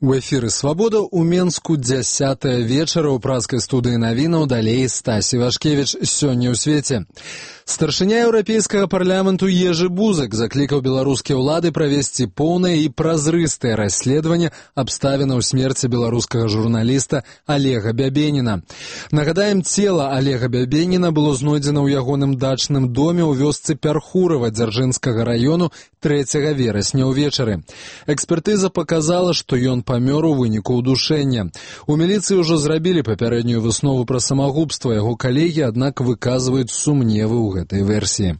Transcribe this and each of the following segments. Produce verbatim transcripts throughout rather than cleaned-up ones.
У эфіры «Свабода» ў Менску дзясятая вечара ў празкай студыі навінаў, далей Стась Івашкевіч. Сёння ў свеце. Старшыня Еўрапейскага парламенту Ежы Бузак заклікаў беларускія ўлады правесці поўнае і празрыстае расследаванне абставінаў смерці беларускага журналіста Олега Бябеніна. Нагадаем, цела Олега Бябеніна было знойдзена ў ягоным дачным доме ў вёсцы Пярхурава Дзяржынскага раёну трэцяга верасня ўвечары. Экспертыза паказала, што ён памёр у выніку ўдушэння. У міліцыі ўжо зрабілі папярэднюю выснову пра самагубства. Яго калегі, аднак, выказваюць сумневы ў гэтай версіі.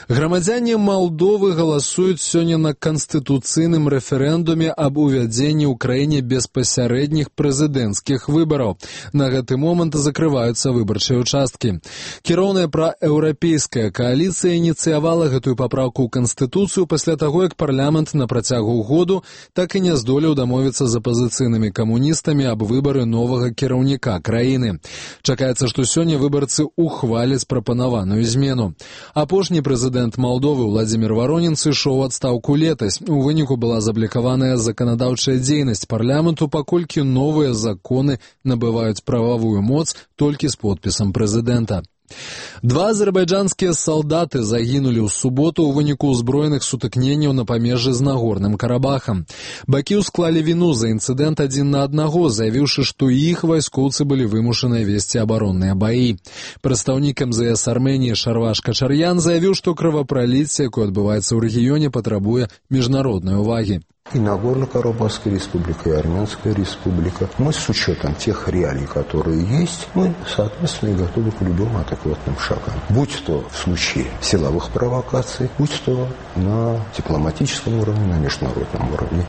Грамадзяне Малдовы галасуюць сёння на канстытуцыйным рэферэндуме аб увядзенні ў краіне беспасярэдніх прэзідэнцкіх выбараў. На гэты момант закрываюцца выбарчыя ўчасткі. Кіроўная праеўрапейская кааліцыя ініцыявала гэтую папраўку ў канстытуцыю пасля таго, як парламент на працягу году так і не здолеў дамовіцца з апазіцыйнымі камуністамі аб выбары новага кіраўніка краіны. Чакаецца, што сёння выбарцы ухваляць прапанаваную змену. Апошні прэзідэнт Малдовы Владзімір Варонін сышоў у адстаўку летась. У выніку была заблікаваная заканадаўчая дзейнасць парламенту, паколькі новыя законы набываюць прававую моц толькі з подпісам прэзідэнта. Два азербайджанскія салдаты загінулі ў суботу ў выніку ўзброеных сутыкненняў на памежжы з Нагорным Карабахам. Бакі ўсклалі віну за інцыдэнт адзін на аднаго, заявіўшы, што іх вайскоўцы былі вымушаны весці абаронныя баі. Прадстаўнік эм зэ эс Арменіі Шарваш Качар'ян заявіў, што кровапраліцце, якое адбываецца ў рэгіёне, патрабуе міжнароднай увагі. И Нагорно-Карабахская республика, и Армянская республика. Мы с учетом тех реалий, которые есть, мы, соответственно, и готовы к любым адекватным шагам. Будь то в случае силовых провокаций, будь то на дипломатическом уровне, на международном уровне.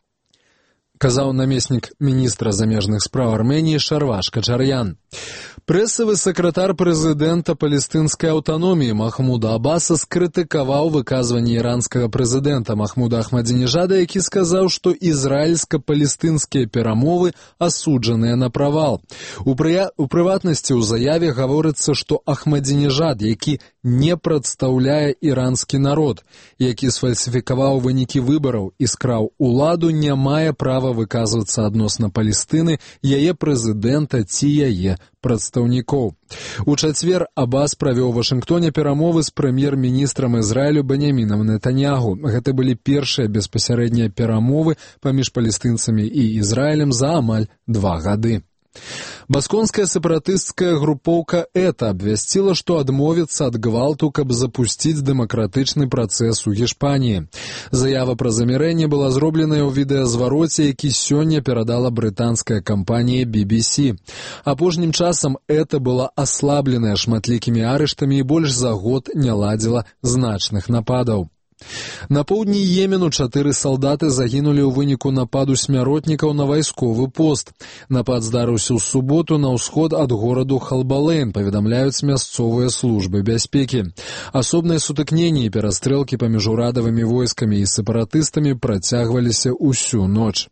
Казаў намеснік міністра замежных спраў Арменіі Шарваш Качар'ян. Прэсавы сакратар прэзідэнта палестынскай аўтаноміі Махмуда Аббаса скрытыкаваў выказванне іранскага прэзідэнта Махмуда Ахмадзінежада, які сказаў, што ізраільска-палестынскія перамовы асуджаныя на правал. У, прыя... у прыватнасці ў заяве гаворыцца, што Ахмадзінежад, які не прадстаўляе іранскі народ, які сфальсіфікаваў вынікі выбараў і скраў уладу, не мае права выказвацца адносна Палестыны, яе прэзідэнта ці яе прадстаўнікоў. У чацвер Аббас правёў у Вашынгтоне перамовы з прэм'ер-міністрам Ізраілю Беньямінам Нетаньягу. Гэта былі першыя беспасярэднія перамовы паміж палестынцамі і Ізраілем за амаль два гады. Басконская сепаратысцкая групоўка ЭТА абвясціла, што адмовіцца ад гвалту, каб запусціць дэмакратычны працэс у Гішпаніі. Заява пра замірэнне была зробленая ў відэазвароце, які сёння перадала брытанская кампанія би би сі. Апошнім часам ЭТА была аслабленая шматлікімі арыштамі і больш за год не ладзіла значных нападаў. На поўдні Йемену чатыры салдаты загінулі ў выніку нападу смяротнікаў на вайсковы пост. Напад здарыўся ў суботу на ўсход ад гораду Халбалейн, паведамляюць мясцовыя службы бяспекі. Асобныя сутыкненні і перастрэлкі паміж урадавымі войскамі і сепаратыстамі працягваліся ўсю ноч.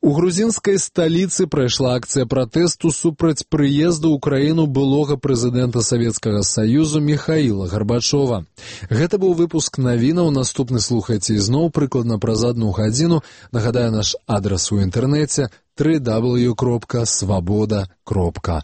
У грузінскай сталіцы прайшла акцыя пратэсту супраць прыезду ў краіну былога прэзідэнта Савецкага Саюзу Міхаіла Гарбачова. Гэта быў выпуск навінаў. Наступны слухайце ізноў прыкладна праз адну гадзіну. Нагадаю, наш адрас у інтэрнэце дабл ю дабл ю дабл ю кропка свабода кропка